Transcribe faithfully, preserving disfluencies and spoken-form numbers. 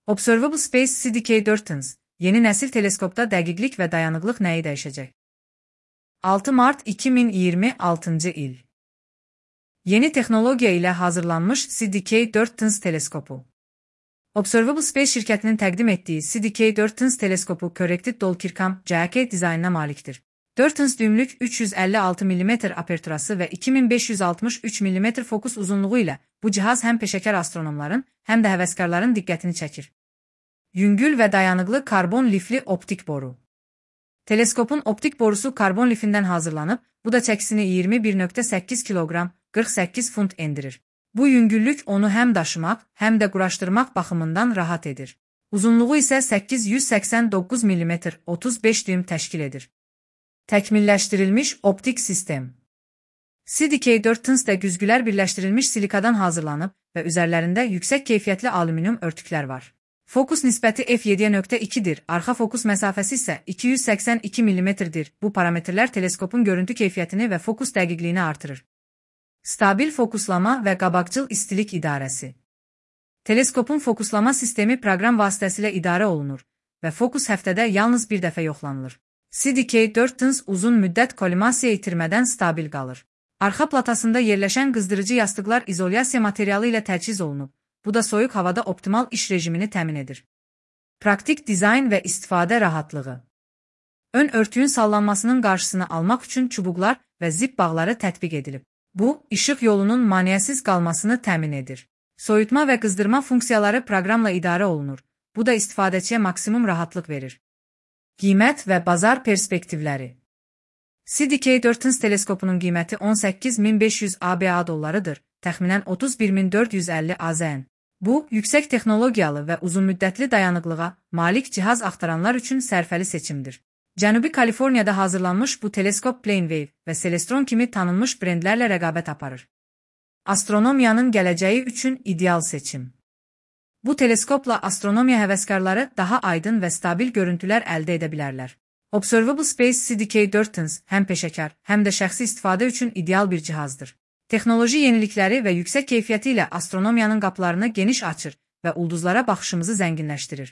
Observable Space C D K dört Tons, yeni nesil teleskopta dəqiqlik və dayanıqlıq nəyi dəyişəcək? altı mart iki min iyirmi altıncı il. Yeni texnologiya ilə hazırlanmış C D K dört Tons teleskopu. Observable Space şirkətinin təqdim etdiyi C D K dört Tons teleskopu Corrected Dolkirkham C K dizaynına malikdir. dört tons düymlük üç yüz əlli altı millimetr aperturası və iki min beş yüz altmış üç millimetr fokus uzunluğu ilə bu cihaz həm peşəkar astronomların, həm də həvəskarların diqqətini çəkir. Yüngül və dayanıqlı karbon lifli optik boru. Teleskopun optik borusu karbon lifindən hazırlanıb, bu da çəkisini iyirmi bir nöqtə səkkiz kiloqram, qırx səkkiz funt endirir. Bu yüngüllük onu həm daşımaq, həm də quraşdırmaq baxımından rahat edir. Uzunluğu isə səkkiz yüz səksən doqquz millimetr, otuz beş düym təşkil edir. Təkmilləşdirilmiş optik sistem. C D K dört Tons də güzgülər birləşdirilmiş silikadan hazırlanıb və üzərlərində yüksək keyfiyyətli alüminium örtüklər var. Fokus nisbəti F yeddiyə nöqtə ikidir, arxa fokus məsafəsi isə iki yüz səksən iki millimetrdir. Bu parametrlər teleskopun görüntü keyfiyyətini və fokus dəqiqliyini artırır. Stabil fokuslama və qabaqcıl istilik idarəsi. Teleskopun fokuslama sistemi proqram vasitəsilə idarə olunur və fokus həftədə yalnız bir dəfə yoxlanılır. C D K dört Tons uzun müddət kolimasiya itirmədən stabil qalır. Arxa platasında yerləşən qızdırıcı yastıqlar izolyasiya materialı ilə təchiz olunub. Bu da soyuq havada optimal iş rejimini təmin edir. Praktik dizayn və istifadə rahatlığı. Ön örtüyün sallanmasının qarşısını almaq üçün çubuqlar və zip bağları tətbiq edilib. Bu, işıq yolunun maneəsiz qalmasını təmin edir. Soyutma və qızdırma funksiyaları proqramla idarə olunur. Bu da istifadəçiyə maksimum rahatlıq verir. Qiymət və bazar perspektivləri. C D K dört Tons teleskopunun qiyməti on səkkiz min beş yüz ABA dollarıdır, təxminən otuz bir min dörd yüz əlli AZN. Bu, yüksək texnologiyalı və uzunmüddətli dayanıqlığa malik cihaz axtaranlar üçün sərfəli seçimdir. Cənubi Kaliforniyada hazırlanmış bu teleskop Planewave və Celestron kimi tanınmış brendlərlə rəqabət aparır. Astronomiyanın gələcəyi üçün ideal seçim. Bu teleskopla astronomiya həvəskarları daha aydın və stabil görüntülər əldə edə bilərlər. Observable Space C D K dört Tons həm peşəkar, həm də şəxsi istifadə üçün ideal bir cihazdır. Texnoloji yenilikləri və yüksək keyfiyyəti ilə astronomiyanın qapılarını geniş açır və ulduzlara baxışımızı zənginləşdirir.